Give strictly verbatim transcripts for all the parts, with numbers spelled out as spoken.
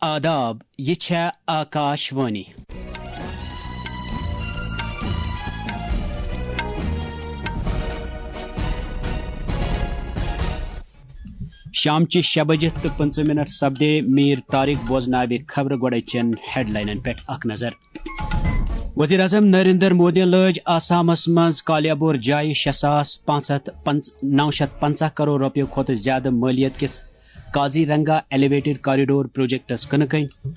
آداب، یہِ چھےٚ آکاش وانی۔ شامچہِ شےٚ بجہِ تہٕ پٕنٛژٕہ منٹ سپدے۔ میٖر طارق بوزناوِ خبرٕ۔ گۄڈٕ چٮ۪ن ہیڈلاینن پٮ۪ٹھ اکھ نظر۔ وزیر اعظم نریندر مودیَن لٲج آسامس منٛز کالیابور جایہِ شےٚ ساس پانٛژھ ہتھ نو شتھ پنٛژاہ کرور رۄپیہِ کھۄتہٕ زیادٕ مٲلیت کِس قاضی رنگا ایلیویٹڈ کاریڈور پروجیکٹس کٕنہٕ کٔنۍ۔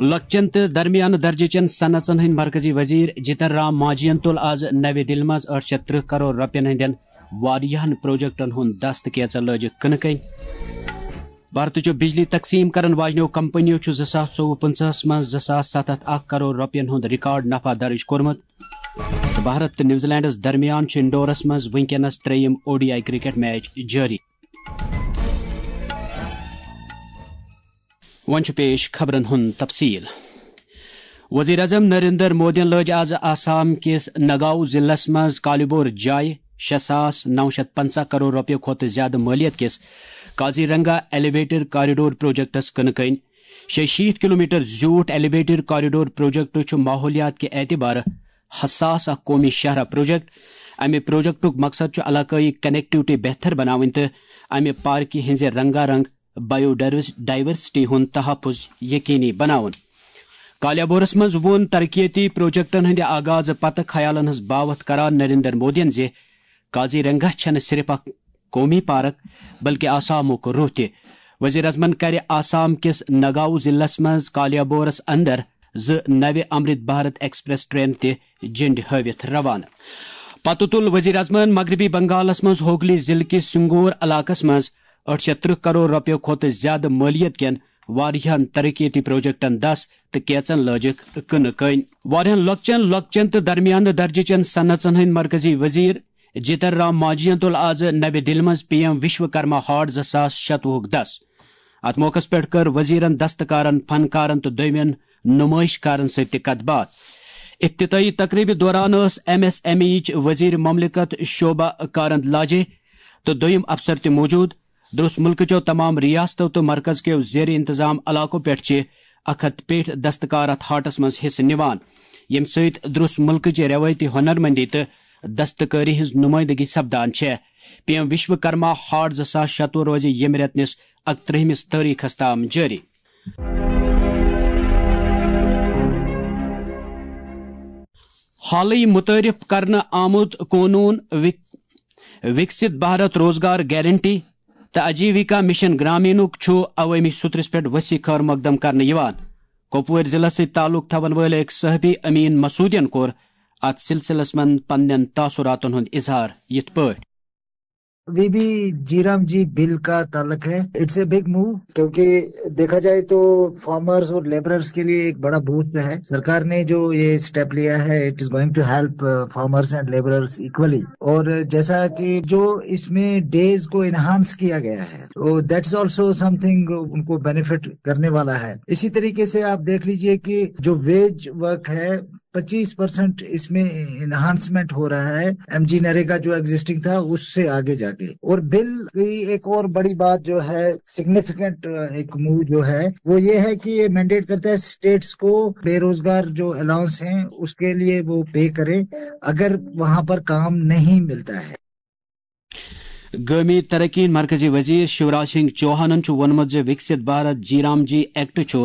لۄکچٮ۪ن تہٕ درمیانہٕ درجہٕ چٮ۪ن صنعژن ہٕنٛدۍ مرکزی وزیر جتن رام مانجھین تُل آز نوِ دِلہِ منٛز ٲٹھ شتھ ترٕہ کرور رۄپین ہٕنٛدٮ۪ن واریاہن پروجیکٹن ہُنٛد دست، کینژن لٲجِکھ کٕنہٕ کٔنۍ۔ بھارتٕچو بجلی تقسیم کرن واجنیو کمپنیو چھُ زٕ ساس ژوٚوُہ پٕنٛژٕہس منٛز زٕ ساس ستھ ہتھ اکھ کرور رۄپین ہُنٛد ریکارڈ نفع درج کوٚرمُت۔ تہٕ بھارت تہٕ نیوزی لینڈس درمیان چھُ انڈورس منٛز وٕنکیٚنس ترٛیٚیِم O D I cricket match جٲری۔ وۄنۍ چھُ پیش خبرن ہُنٛد تفصیل۔ وزیر اعظم نریندر مودیَن لٲج آز آسام کِس نگاؤں ضلعس منٛز کالیابور جایہِ شےٚ ساس نو شتھ پنٛژاہ کرور رۄپیہِ کھۄتہٕ زیادٕ مٲلیت کِس قاضی رنگا ایلیویٹڈ کاریڈور پروجیکٹس کٕنہٕ کٔنۍ۔ شیٚیہِ شیٖتھ کلومیٹر زیوٗٹھ ایلیویٹڈ کاریڈور پروجیکٹ چھُ ماحولیات کہِ اعتبارٕ حساس اکھ قومی شاہراہ پروجیکٹ۔ امہِ پروجیکٹُک مقصد چھُ علاقٲیی کنیکٹیوٹی بہتر بناوٕنۍ تہٕ امہِ پارکہِ ہٕنٛزِ رنگا رنگ بایو ڈائیورس-، ڈائیورسٹی ہُنٛد تحفظ یقینی بناوُن۔ کالیابورس منٛز ووٚن ترقیتی پروجیکٹن ہٕنٛدِ آغاز پتہٕ خیالن ہٕنٛز باوتھ کران نریندر مودیَن زِ قاضی رنگا چھَنہٕ صرف اکھ قومی پارک، بلکہ آسامُک روح تہِ۔ وزیر اعظمن کرِ آسام کِس نگاؤں ضلعس منٛز کالیابورس اندر زٕ نوِ امرت بھارت ایکسپریس ٹرین تہِ جھنڈی ہٲوِتھ روانہٕ۔ پتہٕ تُل وزیر اعظمن مغربی بنگالس منٛز ہوگلی ضلعہٕ کِس سنگور علاقس منٛز ٲٹھ شتھ ترٕہ کرور رۄپیو کھۄتہٕ زیادٕ مٲلیت کٮ۪ن واریاہن ترقیتی پروجیکٹن دس تہٕ کینژن لٲجِکھ کٕنہٕ کٔنۍ۔ واریاہن لۄکچٮ۪ن، لۄکچٮ۪ن تہٕ درمیانہٕ درجہٕ چٮ۪ن صنعژن ہٕنٛدۍ مرکزی وزیر جتن رام مانجھین تُل آز نوِ دِلہِ منٛز پی ایم وشوکرما ہاٹ زٕ ساس شتوُہُک دس۔ اتھ موقعس پٮ۪ٹھ کٔر وزیرن دستکارن، فنکارن تہٕ دویمٮ۪ن نمٲیش کارن سۭتۍ تہِ کتھ باتھ۔ افتتاحی تقریبہِ دوران ٲس ایم ایس ایم ای یٕچ وزیر مملکت شوبھا کارند لاجے تہٕ دویم افسر تہِ موجود۔ درس ملکٕچو تمام ریاستو تہٕ مرکز کیو زیر انتظام علاقو پٮ۪ٹھ چھِ اکھ ہتھ پیٹھ دستکار اتھ ہاٹس منٛز حصہٕ نِوان، ییٚمہِ سۭتۍ درس ملکٕچ روایتی ہنرمندی تہٕ دستکٲری ہٕنٛز نمٲیندگی سپدان چھےٚ۔ پی ایم وشوکرما ہاٹ زٕ ساس شتوُہ روزِ ییٚمہِ رٮ۪تہٕ نِس اکترٕہمِس تٲریخس تام جٲری۔ حالٕے متعارف کرنہٕ آمُت قونوٗن وک-، وکست بھارت روزگار گارنٹی تہٕ آجیوکا مشن گرامینُک چھُ عوٲمی سترس پٮ۪ٹھ وسیع خٲر مقدم کرنہٕ یِوان۔ کۄپوٲرۍ ضلعس سۭتۍ تعلق تھاون وٲلۍ أکۍ صحافی امین مسعودین کوٚر اتھ سلسلس منٛز پننٮ۪ن تاثراتن ہُنٛد اظہار یِتھ پٲٹھۍ۔ ابھی بھی جی رام جی بل کا تعلق ہے، اٹس اے بگ موو، کیونکہ دیکھا جائے تو فارمرز اور لیبررز کے لیے ایک بڑا بوسٹ ہے۔ سرکار نے جو یہ اسٹیپ لیا ہے، it is going to help farmers and labourers equally۔ اور جیسا کہ جو اس میں ڈیز کو انہانس کیا گیا ہے، تو دیٹس آلسو سم تھنگ ان کو بینیفٹ کرنے والا ہے۔ اسی طریقے سے آپ دیکھ لیجئے کہ جو ویج ورک ہے، پچیس پرسینٹ اس میں انہانسمنٹ ہو رہا ہے ایم جی نریگا جو ایگزسٹنگ تھا، اس سے آگے جا کے۔ اور بل کی ایک اور بڑی بات جو ہے، سگنیفیکنٹ ایک موو جو ہے، وہ یہ ہے کہ یہ مینڈیٹ کرتا ہے اسٹیٹس کو بے روزگار جو الاؤنس ہیں، اس کے لیے وہ پے کریں اگر وہاں پر کام نہیں ملتا ہے۔ گٲمی ترقی ہٕنٛدۍ مرکزی وزیر شیوراج سنگھ چوہانن چھُ ووٚنمُت زِ وکست بھارت جی رام جی ایکٹ چھُ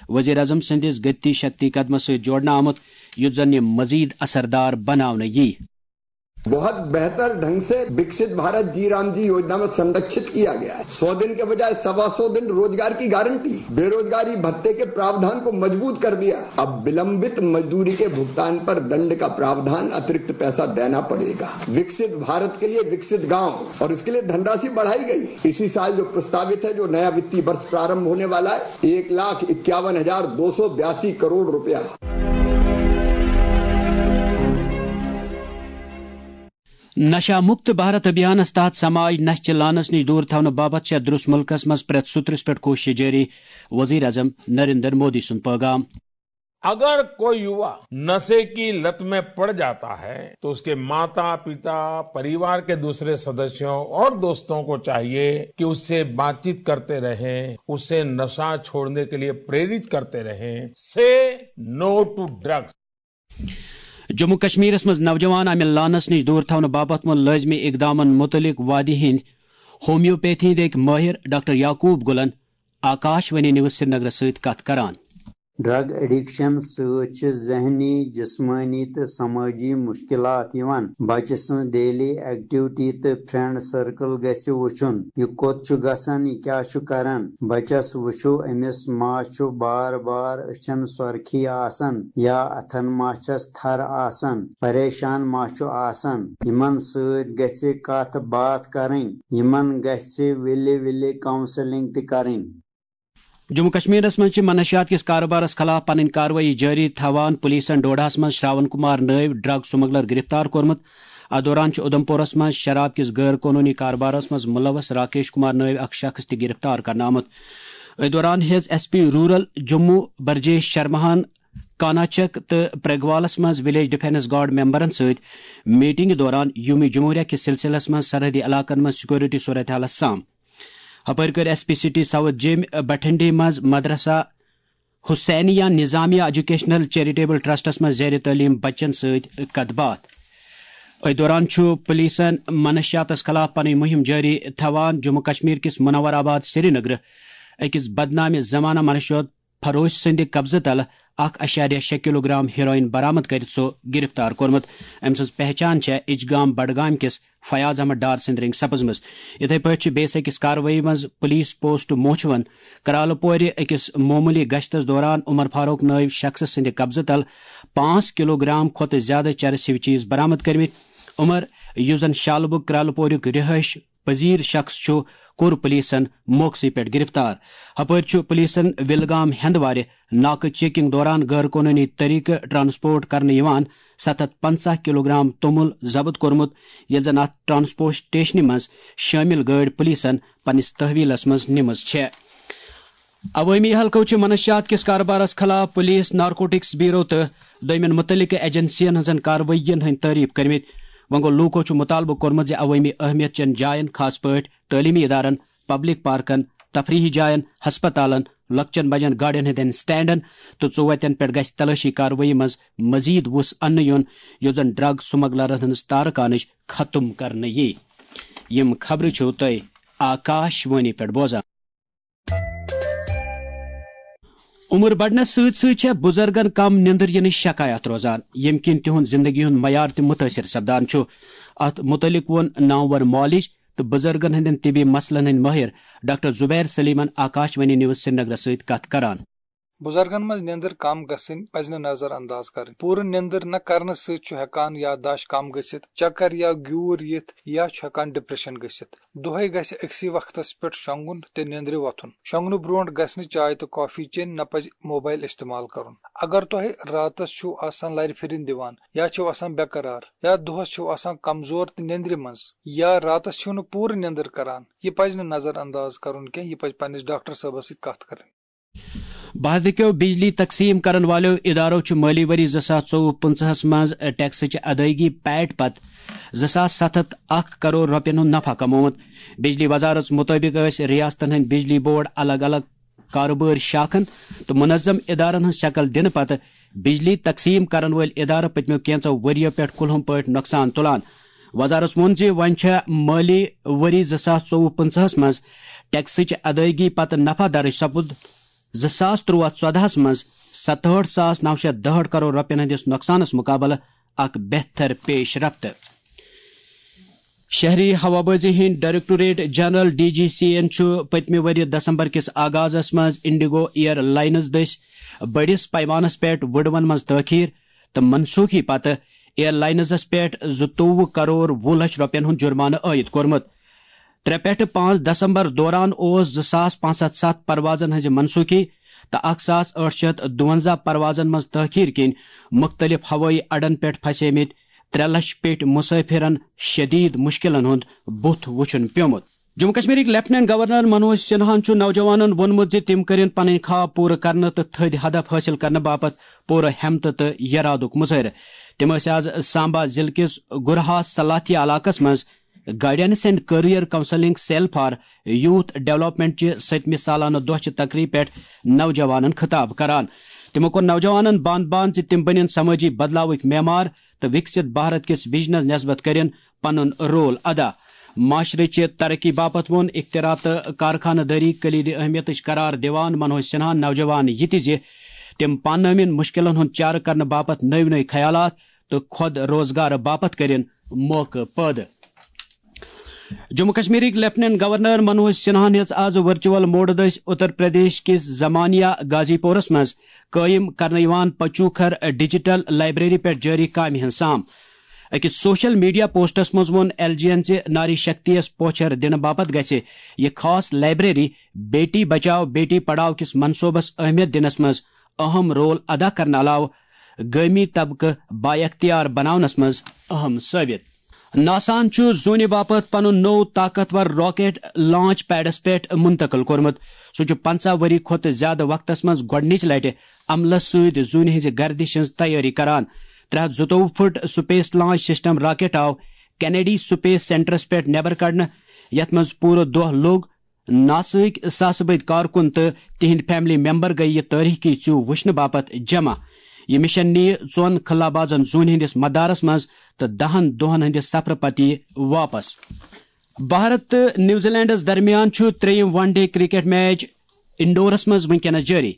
وزیر اعظم سٕنٛدِس گتی شکتی قدمس سۭتۍ جوڑنہٕ آمُت، یُتھ زن یہِ مزید اثردار بناونہٕ یِیہِ۔ बहुत बेहतर ढंग से विकसित भारत जी राम जी योजना में संरक्षित किया गया है। सौ दिन के बजाय सवा सौ दिन रोजगार की गारंटी, बेरोजगारी भत्ते के प्रावधान को मजबूत कर दिया। अब विलंबित मजदूरी के भुगतान पर दंड का प्रावधान, अतिरिक्त पैसा देना पड़ेगा। विकसित भारत के लिए विकसित गांव, और इसके लिए धनराशि बढ़ाई गई। इसी साल जो प्रस्तावित है, जो नया वित्तीय वर्ष प्रारंभ होने वाला है, एक लाख इक्यावन हजार दो सौ बयासी करोड़ रुपया। نشہ مکت بھارت ابھیانس تحت سماج نشہ چہ لعنس نش دور تھاونہٕ باپتھ چھےٚ درس ملکس منٛز پرٛٮ۪تھ سترس پٮ۪ٹھ کوشش جٲری، وزیر اعظم نریندر مودی سُنٛد پیغام۔ अगर कोई युवा नशे की लत में पड़ जाता है, तो उसके माता पिता, परिवार के दूसरे सदस्यों और दोस्तों को चाहिए कि उससे बातचीत करते रहें, उसे नशा छोड़ने के लिए प्रेरित करते रहें। Say no to drugs. Jammu کشمیرس منٛز نوجوان امہِ لعنس نِش دوٗر تھاونہٕ باپتھ ووٚن لٲزمی اقدامن مُتعلق وادی ہٕنٛدۍ ہومیوپیتھی ہٕنٛدۍ أکۍ مٲہِر ڈاکٹر یعقوب گُلن آکاش وانی نیوز سرینگرس سۭتۍ کتھ کران۔ ڈرگ ایڈکشن سۭتۍ چھِ ذہنی، جسمٲنی تہٕ سمٲجی مشکلات یِوان۔ بچہٕ سٕنٛز ڈیلی ایکٹیوٹی تہٕ فرینڈ سرکل گژھِ وُچھُن۔ یہِ کوٚت چھُ گژھان، یہِ کیٛاہ چھُ کران؟ بچس وُچھِو، أمِس ما چھُ بار بار أچھن سۄرخی آسان یا اتھن ما چھس تھر آسان؟ پریشان ما چھُ آسان؟ یِمن سۭتۍ گژھِ کتھ باتھ کرٕنۍ۔ یِمن گژھِ وِلہِ وِلہِ کاؤنسلنگ تہِ کرٕنۍ۔ جموں کشمیرس منٛز چھِ منشیات کِس کارٕبارس خلاف پنٕنۍ کاروٲیی جٲری تھاوان پُلیٖسن ڈوڈاہس منٛز شراون کمار نٲوۍ ڈرگ سمگلر گرفتار کوٚرمُت۔ اتھ دوران چھُ اُدھمپورس منٛز شراب کِس غٲر قونوٗنی کارٕبارس منٛز مُلوث راکیش کمار نٲوۍ اکھ شخص تہِ گرفتار کرنہٕ آمُت۔ أتھۍ دوران ہیٚژ S P rural Jammu Brijesh شرماہن کاناچک تہٕ پرگوالس منٛز ولیج ڈیفنس گارڈ ممبرن سۭتۍ میٹنگہِ دوران یوم جمہوریہ کِس سلسلس منٛز سرحدی علاقن منٛز سیکورٹی صورتحالس سام۔ ہپٲرۍ کٔر ایس پی سٹی ساؤتھ جیمۍ بٹھنڈی منٛز مدرسہ حسینیہ نظامیہ ایجوکیشنل چیریٹیبل ٹرسٹس منٛز زیر تعلیم بچن سۭتۍ کتھ باتھ۔ أتھۍ دوران چھُ پُلیٖسن منشیاتس خلاف پنٕنۍ مُہِم جٲری تھاوان۔ جموں کشمیر کِس منور آباد سرینگرٕ أکِس بدنامہِ زمانہ منشیات فروش سٕنٛدِ قبضہٕ تلہٕ اکھ اَشاریہ شےٚ کلوگرام ہیروئن برآمد کٔرِتھ سُہ گرفتار کوٚرمُت۔ أمۍ سٕنٛز پہچان چھےٚ اِچگام بڈگام کِس فیاض احمد ڈار سٕنٛدِ رنگہِ سپٕزمٕژ۔ یِتھے پٲٹھۍ چھِ بیٚیِس أکِس کاروٲیی منٛز پُلیٖس پوسٹ موچھوَن کرالہٕ پورِ أکِس معموٗلی گشتس دوران عمر فاروق نٲوۍ شخصہٕ سٕنٛدِ قبضہٕ تل پانٛژھ کلوگرام کھۄتہٕ زیادٕ چرس ہِوۍ چیٖز برآمد کٔرمٕتۍ۔ عمر، یُس زن شالبُگ کرالہٕ پوریُک رہٲیش پذیر شخص چھُ، کوٚر پُلیٖسن موقعسٕے پٮ۪ٹھ گرفتار۔ ہپٲرۍ چھُ پُلیٖسن وِلگام ہندوارِ ناکہٕ چیکنگ دوران غٲر قونوٗنی طریقہٕ ٹرانسپورٹ کرنہٕ یِوان ستھ ہتھ پنژاہ کلوگرام توٚمُل ضبط کوٚرمُت، ییٚلہِ زن اتھ ٹرانسپورٹیشنہِ منٛز شٲمِل گٲڑۍ پُلیٖسن پننِس تحویلس منٛز نِمٕژ چھےٚ۔ عوٲمی حلقو چھِ منشیات کِس کارٕبارس خلاف پُلیٖس، نارکوٹکس بیورو تہٕ دوٚیمٮ۪ن مُتعلقہٕ ایجنسین ہٕنٛزن کاروٲیین ہٕنٛدۍ تعریف کٔرمٕتۍ۔ وۄنۍ گوٚو، لوٗکو چھُ مُطالبہٕ کوٚرمُت زِ عوٲمی اہمیت چٮ۪ن جاین، خاص پٲٹھۍ تعلیمی ادارن، پبلک پارکن، تفریحی جاین، ہسپتالن، لۄکچٮ۪ن بجن گاڑٮ۪ن ہٕنٛدٮ۪ن سٹینڈن تہٕ ژوتٮ۪ن پٮ۪ٹھ گژھِ تلٲشی کاروٲیی منٛز مزید وُس اننہٕ یُن، یُتھ زن ڈرگ سمگلرن ہٕنٛز تارٕ کانٕچ ختم کرنہٕ یِیہِ۔ یِم خبرٕ چھِو تُہۍ آکاش وانی پٮ۪ٹھ بوزان۔ عمر بڑنس سۭتۍ سۭتۍ چھےٚ بُزرگن کم نیندر ینٕچ شکایت روزان، ییٚمہِ کِنۍ تِہُنٛد زندگی ہُنٛد معیار تہِ مُتٲثر سپدان چھُ۔ اتھ مُتعلق ووٚن نامور معالج تہٕ بُزرگن ہٕنٛدٮ۪ن طبی مسلن ہٕنٛدۍ مٲہِر ڈاکٹر زبیر سلیمن آکاش وانی نیوز سرینگرس سۭتۍ کتھ کران۔ بُزرگن منٛز نیندر کم گژھٕنۍ پزِ نہٕ نظر انداز کرٕنۍ۔ پوٗرٕ نیندر نہ کرنہٕ سۭتۍ چھُ ہٮ۪کان یادداشت کم گٔژھِتھ، چکر یا گیوٗر یِتھ، یا چھُ ہٮ۪کان ڈپریشن گٔژھِتھ۔ دۄہے گژھِ أکسٕے وقتس پٮ۪ٹھ شۄنگُن تہٕ نیندرِ وۄتھُن۔ شۄنگنہٕ برونٹھ گژھِ نہٕ چاے تہٕ کافی چیٚنۍ، نہ پزِ موبایل استعمال کرُن۔ اگر تۄہہِ راتس چھِو آسان لرِ پھرِنۍ دِوان، یا چھِو آسان بے قرار، یا دۄہس چھِو آسان کمزور تہٕ نیندرِ منٛز، یا راتس چھِو نہٕ پوٗرٕ نیندر کران، یہِ پزِ نہٕ نظر انداز کرُن کینٛہہ، یہِ پزِ پننِس ڈاکٹر صٲبس سۭتۍ کتھ کرٕنۍ۔ بھارتہٕ کیو بجلی تقسیم کرن والیو ادارو چھُ مٲلی ؤری زٕ ساس ژوٚوُہ پٕنٛژٕہس منٛز ٹیکسٕچ ادٲیگی پیٹ پتہٕ زٕ ساس ستھ ہتھ اکھ کرور رۄپین ہُنٛد نفع کمومُت۔ بجلی وزارت مُطٲبِق ٲسۍ ریاستن ہٕنٛدۍ بجلی بورڈ الگ الگ کارٕبٲرۍ شاخن تہٕ منظم ادارن ہٕنٛز شکل دِنہٕ پتہٕ بجلی تقسیم کرن وٲلۍ ادارٕ پٔتمیو کینژو ؤرۍ یو پٮ۪ٹھ کُلہُم پٲٹھۍ نۄقصان تُلان۔ وزارت ووٚن زِ وۄنۍ چھےٚ مٲلی ؤری زٕ ساس ژوٚوُہ پٕنٛژٕہس منٛز ٹیکسٕچ ادٲیگی پتہٕ نفع درٕج سپُد زٕ ساس تُرٛواہ ژۄدہس منٛز ستہٲٹھ ساس نو شیٚتھ دُہٲٹھ کرور رۄپین ہٕنٛدِس نۄقصانس مُقابلہٕ اکھ بہتر پیش رفت۔ شہری ہوابازی ہٕنٛدۍ directorate general, D G C, یَن چھُ پٔتمہِ ؤرۍ یہِ دسمبر کِس آغازس منٛز انڈیگو ایئر لائنز دٔسۍ بٔڑِس پیمانس پٮ۪ٹھ وُڈوَن منٛز تٲخیر تہٕ منسوخی پتہٕ ایئر لائنزس پٮ۪ٹھ زٕتووُہ کرور وُہ لچھ رۄپین ہُنٛد جُرمانہٕ عائد کوٚرمُت۔ ترٛےٚ پٮ۪ٹھٕ پانٛژھ دسمبر دوران اوس زٕ ساس پانٛژھ ہتھ ستھ پروازن ہٕنٛزِ منسوخی تہٕ اکھ ساس ٲٹھ شیٚتھ دُوَنزاہ پروازن منٛز تٲخیر کِنۍ مُختٔلِف ہوٲیی اڈن پٮ۪ٹھ پھسیمٕتۍ ترٛےٚ لچھ پیٚٹھۍ مسافرن شدید مشکلن ہُنٛد بُتھ وُچھُن پیومُت۔ جموں کشمیرٕکۍ لیفٹیننٹ گورنر منوج سنہاہن چھُ نوجوانن ووٚنمُت زِ تِم کٔرِن پنٕنۍ خواب پوٗرٕ کرنہٕ تہٕ تھٔدۍ ہدف حٲصِل کرنہٕ باپتھ پوٗرٕ ہمت تہٕ یرادُک مظٲہرٕ۔ تِم ٲسۍ آز سامبا ضلعہٕ کِس گُرہا سلاتھیا علاقس منٛز Guidance and Career Counselling Cell for Youth Development چہِ سٔتمہِ سالانہٕ دۄہ چہِ تقریبہِ پٮ۪ٹھ نوجوانن خطاب کران۔ تِمو کوٚر نوجوانن باند باند زِ تِم بٔنِن سمٲجی بدلاوٕکۍ معمار تہٕ وِکسِت بھارت کِس وِجنس نٮ۪سبت کٔرِن پنُن رول ادا۔ معاشرٕچہِ ترقی باپتھ ووٚن اختراع تہٕ کارخانہٕ دٲری کلیدی اہمیتٕچ قرار دِوان منوج سنہاہن نوجوان یہِ تہِ زِ تِم پانہٕ ؤنۍ مُشکلن ہُنٛد چارٕ کرنہٕ باپتھ نٔوۍ نٔوۍ خیالات تہٕ خۄد روزگار باپتھ کٔرِن موقعہٕ پٲدٕ۔ جموں کشمیرٕکۍ لیفٹیننٹ گورنر منوج سنہاہن ہیٚژ آز ورچوئل موڈٕ دٔسۍ اتر پردیش کِس زمانیہ غازی پورس منٛز قٲیِم کرنہٕ یِوان پچوکھر ڈیجیٹل لائبریری پٮ۪ٹھ جٲری کامہِ ہٕنٛز سام۔ أکِس سوشل میڈیا پوسٹس منٛز ووٚن ایل جی یَن زِ ناری شکتی یَس پوچھر دِنہٕ باپتھ گژھِ یہِ خاص لائبریری بیٹی بچاؤ بیٹی پڑھاؤ کِس منصوبس اہمیت دِنس منٛز اہم رول ادا کرنہٕ علاوٕ گٲمی طبقہٕ بااختیار بناونس منٛز اہم ثٲبت۔ ناساہن چھُ زوٗنہِ باپتھ پنُن نوٚو طاقتور راکٹ لانچ پیڈس پٮ۪ٹھ منتقل کوٚرمُت۔ سُہ چھُ پنٛژاہ ؤری کھۄتہٕ زیادٕ وقتس منٛز گۄڈٕنِچ لٹہِ عملس سۭتۍ زوٗنہِ ہٕنٛزِ گردشہِ ہٕنٛز تیٲری کران۔ ترٛےٚ ہتھ زٕتووُہ foot space launch system rocket آو کینیڈی سپیس سینٹرس پٮ۪ٹھ نٮ۪بر کڑنہٕ، یتھ منٛز پوٗرٕ دۄہ لوٚگ۔ ناساہٕکۍ ساسہٕ بٔدۍ کارکُن تہٕ تِہنٛدۍ فیملی ممبر گٔیہِ یہِ تٲریخی ژیوٗ وٕچھنہٕ باپتھ جمع۔ یہِ مشن نِیہِ ژۄن خلا بازن زوٗنہِ ہٕنٛدِس مدارس منٛز تہٕ دَہن دۄہن ہٕنٛدِ سفرٕ پتہٕ یِیہِ واپس۔ بھارت تہٕ نیوزی لینڈس درمیان چھُ ترٛیٚیِم ون ڈے کرکٹ میچ انڈورس منٛز وٕنکیٚنس جٲری۔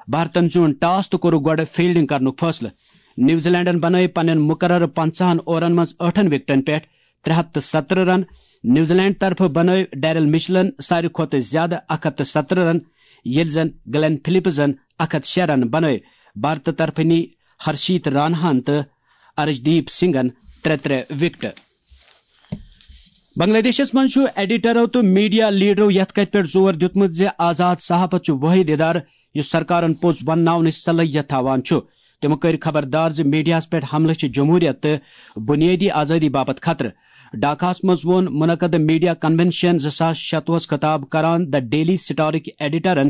بھارتن زیوٗن ٹاس تہٕ کوٚرُکھ گۄڈٕ فیلڈنگ کرنُک فٲصلہٕ۔ نیوزی لینڈن بنٲوۍ پننٮ۪ن مقررٕ پنٛژاہن اورن منٛز ٲٹھن وکٹن پٮ۪ٹھ ترٛےٚ ہتھ تہٕ ستترٕہ رن۔ نیوزی لینڈ طرفہٕ بنٲوۍ ڈیرل مچلن ساروی کھۄتہٕ زیادٕ اکھ ہتھ تہٕ ستترٕہ رن، ییٚلہِ زن گلین فلپزن اکھ ہتھ شےٚ رن بنٲوۍ۔ بھارتہٕ طرفہٕ نی ہرشیت راناہن تہٕ ارشدیپ سنگھن ترٛےٚ ترٛےٚ وکٹہٕ۔ بنگلہ دیشس منٛز چھُ ایڈیٹرو تہٕ میڈیا لیڈرو یتھ کتھِ پٮ۪ٹھ زور دیُتمُت زِ آزاد صحافت چھُ وٲحد ادارٕ یُس سرکارن پوٚز ونناونٕچ صلٲحیت تھاوان چھُ۔ تِمو کٔرۍ خبردار زِ میڈیاہَس پٮ۪ٹھ حملہٕ چھِ جمہوریت تہٕ بنیٲدی آزٲدی باپتھ خطرٕ۔ ڈھاکاہَس منٛز ووٚن منعقدٕ میڈیا کنونشن زٕ ساس شتوُہَس خطاب کران دی ڈیلی سٹارٕکۍ ایڈیٹرن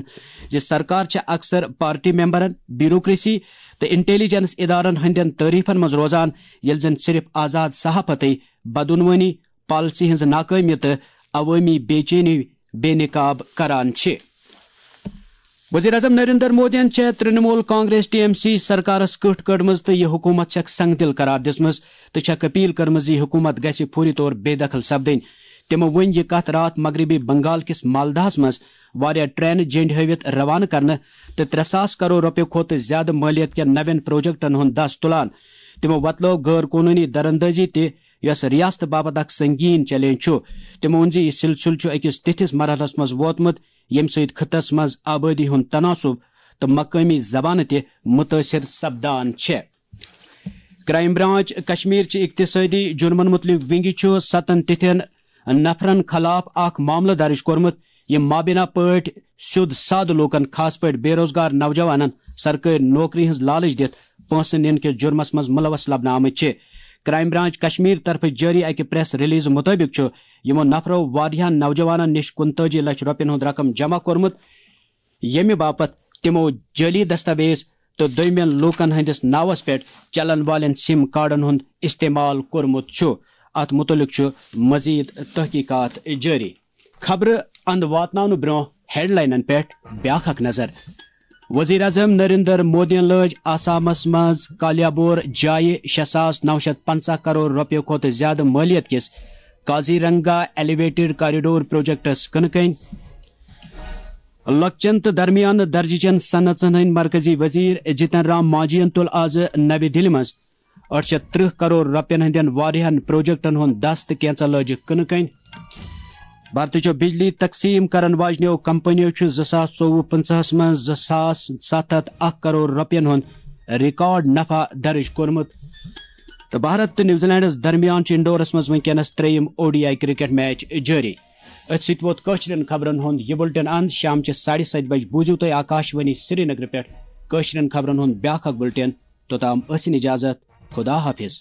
زِ سرکار چھِ اکثر پارٹی ممبرن، بیوروکریسی تہٕ انٹیلیجنس ادارن ہٕنٛدٮ۪ن تعریفن منٛز روزان، ییٚلہِ زن صرف آزاد صحافتٕے بدعنوانی، پالیسی ہٕنٛز ناکٲمی تہٕ عوٲمی بے چینی بے نقاب کران چھِ۔ وزیر اعظم نریندر مودیَن چھےٚ Trinamool Congress T M C سرکارس کٕٹھ کٔڑمٕژ تہٕ یہِ حکوٗمت چھکھ سنگ دل قرار دِژمٕژ تہٕ چھکھ اپیل کٔرمٕژ زِ یہِ حکوٗمت گژھِ فوری طور بے دخل سپدٕنۍ۔ تِمو ؤنۍ یہِ کتھ راتھ مغربی بنگال کِس مالدہس منٛز واریاہ ٹرینہٕ جینڈ ہٲوِتھ روانہٕ کرنہٕ تہٕ ترٛےٚ ساس کرور رۄپیہِ کھۄتہٕ زیادٕ مٲلیت کٮ۪ن نوٮ۪ن پروجیکٹن ہُنٛد دس تُلان۔ تِمو وۄتلٲو غٲر قونوٗنی دراندٲزی تہِ، یۄس ریاست باپتھ اکھ سنگین چیلنج چھُ۔ تِمو ووٚن زِ یہِ سلسلہٕ چھُ أکِس تِتھِس مرحلس منٛز ووتمُت، ییٚمہِ سۭتۍ خطس منٛز آبٲدی ہُنٛد تناسب تہٕ مقٲمی زبانہٕ تہِ مُتٲثِر سپدان چھےٚ۔ کرائم برانچ کشمیر چہِ اقتصٲدی جُرمن مُتعلق ونگہِ چھُ ستن تِتھٮ۪ن نفرن خلاف اکھ معاملہٕ درٕج کوٚرمُت، یِم مابینا پٲٹھۍ سیوٚد سادٕ لوٗکن، خاص پٲٹھۍ بے روزگار نوجوانن، سرکٲرۍ نوکری ہٕنٛز لالٕچ دِتھ پونٛسہٕ نِنہٕ کِس جُرمس منٛز مُلوث لبنہٕ آمٕتۍ چھِ۔ کرائم برانچ کشمیر طرفہٕ جٲری اکہِ پریس ریلیز مُطٲبِق چھُ یِمو نفرو واریاہن نوجوانن نِش کُنتٲجی لچھ رۄپین ہُنٛد رقم جمع کوٚرمُت، ییٚمہِ باپتھ تِمو جعلی دستاویز تہٕ دوٚیمٮ۪ن لوٗکن ہٕنٛدِس ناوس پٮ۪ٹھ چلن والٮ۪ن سِم کارڈن ہُنٛد استعمال کوٚرمُت چھُ۔ اتھ مُتعلِق چھُ مزید تحقیقات جٲری۔ خبرٕ اند واتناونہٕ برٛونٛہہ ہیڈلاینن پٮ۪ٹھ بیاکھ اکھ نظر۔ وزیر اعظم نریندر مودیَن لٲج آسامس منٛز کالیابور جایہِ شےٚ ساس نو شیٚتھ پنٛژاہ کرور رۄپیہِ کھۄتہٕ زیادٕ مٲلیت کِس کازی رنگا ایلیویٹڈ کاریڈور پروجیکٹس کٕنہٕ کٔنۍ۔ لۄکچٮ۪ن تہٕ درمیانہٕ درجہٕ چٮ۪ن صنعژن ہٕنٛدۍ مرکزی وزیر جتن رام مانجھین تُل آز نَوِ دِلہِ منٛز ٲٹھ شیٚتھ ترٕٛہ کرور رۄپین ہٕنٛدٮ۪ن واریاہن پروجیکٹن ہُنٛد دس تہٕ کینژن لٲجِکھ کٕنہٕ کٔنۍ۔ بھارتٕچو بجلی تقسیٖم کرن واجنیو کمپنیو چھُ زٕ ساس ژوٚوُہ پٕنٛژٕہس منٛز زٕ ساس ستھ ہتھ اکھ کرور رۄپین ہُنٛد ریکارڈ نفع درٕج کوٚرمُت۔ تہٕ بھارت تہٕ نیوزی لینڈس درمیان چھُ انڈورس منٛز وٕنکیٚنس ترٛیٚیِم O D I cricket match جٲری۔ أتھۍ سۭتۍ ووت کٲشرٮ۪ن خبرن ہُنٛد یہِ بُلٹن اند۔ شامچہِ ساڑِ ستہِ بجہِ بوٗزِو تُہۍ آکاشوانی سرینگرٕ پٮ۪ٹھ کٲشرٮ۪ن خبرن ہُنٛد بیاکھ اکھ بُلٹن۔ توٚتام ٲسِن اجازت۔ خدا حافظ۔